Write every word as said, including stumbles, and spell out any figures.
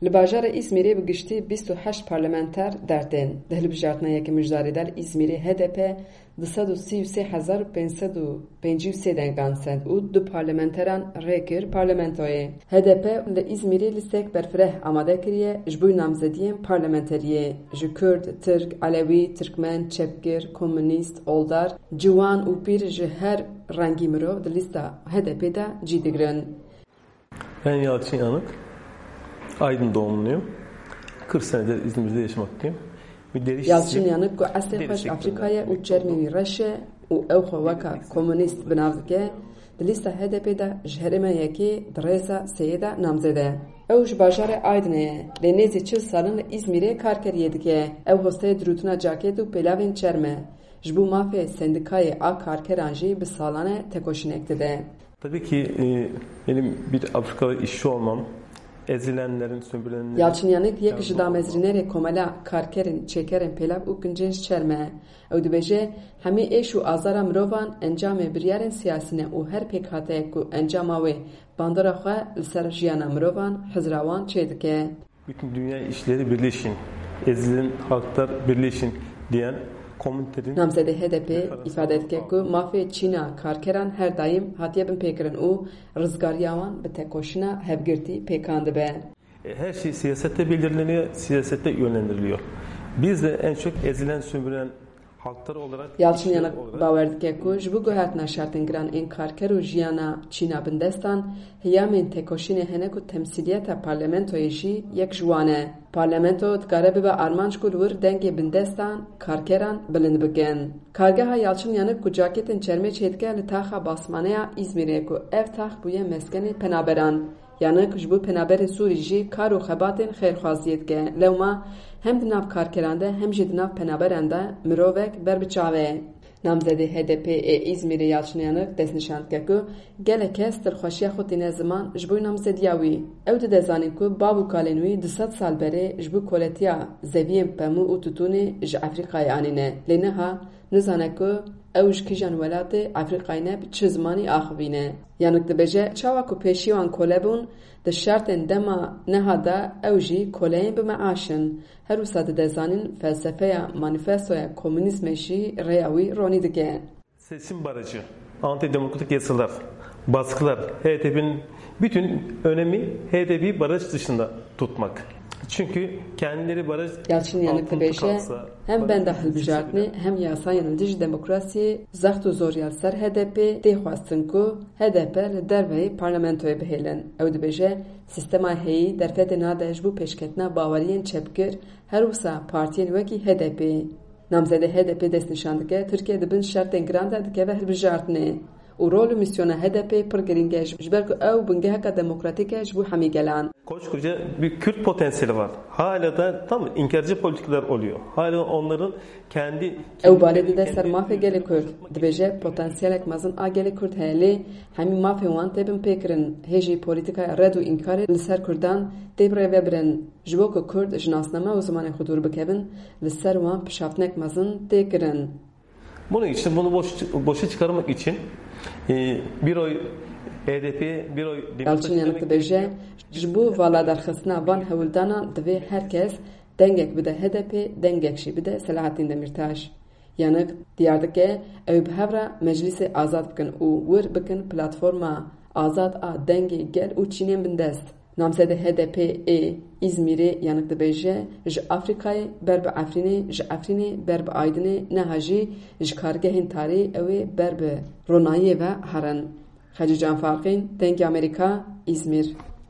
Li bajarê Îzmîrê bi giştî bîst û heşt parlamenter dertên. Di hilbijartina yekê mijdarê de li Îzmîrê H D P du sed û sî û sê hezar û pênc sed û pêncî û sê dengan send û du parlamenteran rê kir parlamentoyê. H D P li Îzmîrê lîstek berfireh amade kiriye ji bo namzediyên parlamenteriyê. Ji Kurd, Tirk, Elewî, Tirkmen, Çepgir, Komunîst, Oldar, Ciwan û Pîr ji her rengî mirov di lîsta H D P de cî digirin. Ben Yalçın Yanık, Aydın doğumluyum. kırk senedir İzmir'de yaşamaktayım. Bir deri Yalçın Yanık ku eslê xwe ji Afrîka ye û çermê wî reş e û ew xwe weka komunîst bi nav dike, di lîsta H D P de ji herêma yekê di rêza sêyê de namzede. Ew ji bajarê Aydinê ye, lê nêzî çil salin li Îzmîrê karkeriyê dike. Ew hosteyê dirûtina caket û pêlavên çerm e. Ji bo mafê sendîkayê a karkeran jî bi salan e tekoşînek dide. Tabii ki e, benim bir Afrikalı işçi olmam, ezilenlerin, sömürülenlerin Yalçın Yanık yek ji damezrînerê komela karkerên çêkerên pêlav û kincên ji çerm e. Ew dibêje, hemî êş û azara mirovan encamê biryarên siyasî ne û her pêkhateyek ku encama wê bandora xwe li ser jiyana mirovan, hizra wan çêdike. Bütün dünya işleri birleşin, ezilen halklar birleşin diyen komünitenin Namzedê H D P îfade dike ku mafê çîna karkeran her daîm hatiye binpêkirin û rizgariya wan bi tekoşîna hevgirtî pêkan dibe. E, her şey siyasette belirleniyor, siyasette yönlendiriliyor. Biz de en çok ezilen, sömürülen halklar olarak, Yalçın Yanık bawer dike ku ji bo guhertina şertên giran ên karker û jiyana çîna bindestan, heyamên tekoşînê hene ku temsîliyeta parlamentoyê jî yek ji wan e. Parlamento dikare bibe armanc ku li wir dengê bindestan, karkeran bilind bikin. Kargeha Yalçın Yanık ku caketên çermê çêdike li taxa Basmaneya Îzmîrê ku ev tax bûye meskenê penaberan. Yanık ji bo penaberên Sûrî jî kar û xebatên xêrxwaziyê dike. Lewma hem di nav karkeran de hem jî di nav penaberan de mirovek ber bi çav e. Namzedê H D P ê Îzmîrê Yalçın Yanık destnîşan dike ku gelek kes dilxweşiya xwe tîne ziman ji bo namzediya wî. Ew dide zanîn ku bav û kalên wî du sed sal berê ji bo koletiya zeviyên pemû û tutûnê ji Efrîkayê anîne. Lê niha nizane ku ew ji kîjan welatê Efrîkayê ne, bi çi zimanî axivîne. Yanık dibêje, çawa ku pêşî wan kole bûn, di şertên dema niha de ew jî koleyên bi meaş in. Her wisa dide zanîn felsefeya manîfestoya komunîzmê jî rêya wî ronî dike. Seçim barajı, antidemokratik yasalar, baskılar, H D P'nin bütün önemi H D P'yi baraj dışında tutmak. Çünkü kendileri baraj Yalçın Yanık altında dibêje, kalsa, hem benda hilbijartinê hem yasayên li dijî demokrasiyê zext û zor ya li ser H D P tê xwestin ku H D P li derveyî parlamentoyê bihêlin. Ew dibêje, sîstema heyî derfetê nade ji bo pêşketina baweriyên çepgir, her wisa partiyên wekî H D P. Namzedê H D P destnîşan dike, Tirkiye di bin şertên giran de dikeve hilbijartinê û rol û mîsyona H D P pir girîng e, ji ber ku ew bingeheka demokratîk e ji bo hemî gelan. Koskoca bir Kürt potansiyeli var. Hala da tam inkarcı politikalar oluyor. Hala onların kendi Ew balê dide ser mafê gelê Kurd. Dibêje, potansiyelek mezin a gelê Kurd heye, lê hemî mafê wan tê binpêkirin. Hê jî polîtikaya red û înkarê li ser Kurdan tê birêvebirin. Ji bo ku Kurd ji nasname û zimanê xwe dûr bikevin, li ser wan pişaftinek mezin tê kirin. Bunun için, bunu boş, boşa çıkarmak için e, bir oy H D P, bir oy Demokrat Yalçın Yanık dibêje, ji bo vala derxistina van hewldanan divê her kes dengek bide H D P, dengek jî bide Selahattin Demirtaş. Yanık diyar dike, ew bi hev re meclîsê azad bikin û wir bikin platforma azad a dengê gel û çînên bindest. Namzedê H D P ê Îzmîrê Yanık dibêje, ji Afrîkayê ber bi Efrînê, ji Efrînê ber bi Aydinê, niha jî ji kargehên tarî ew ê ber bi ronahiyê ve herin. Xecîcan Farqîn, Dengê Amerîka, Îzmîr.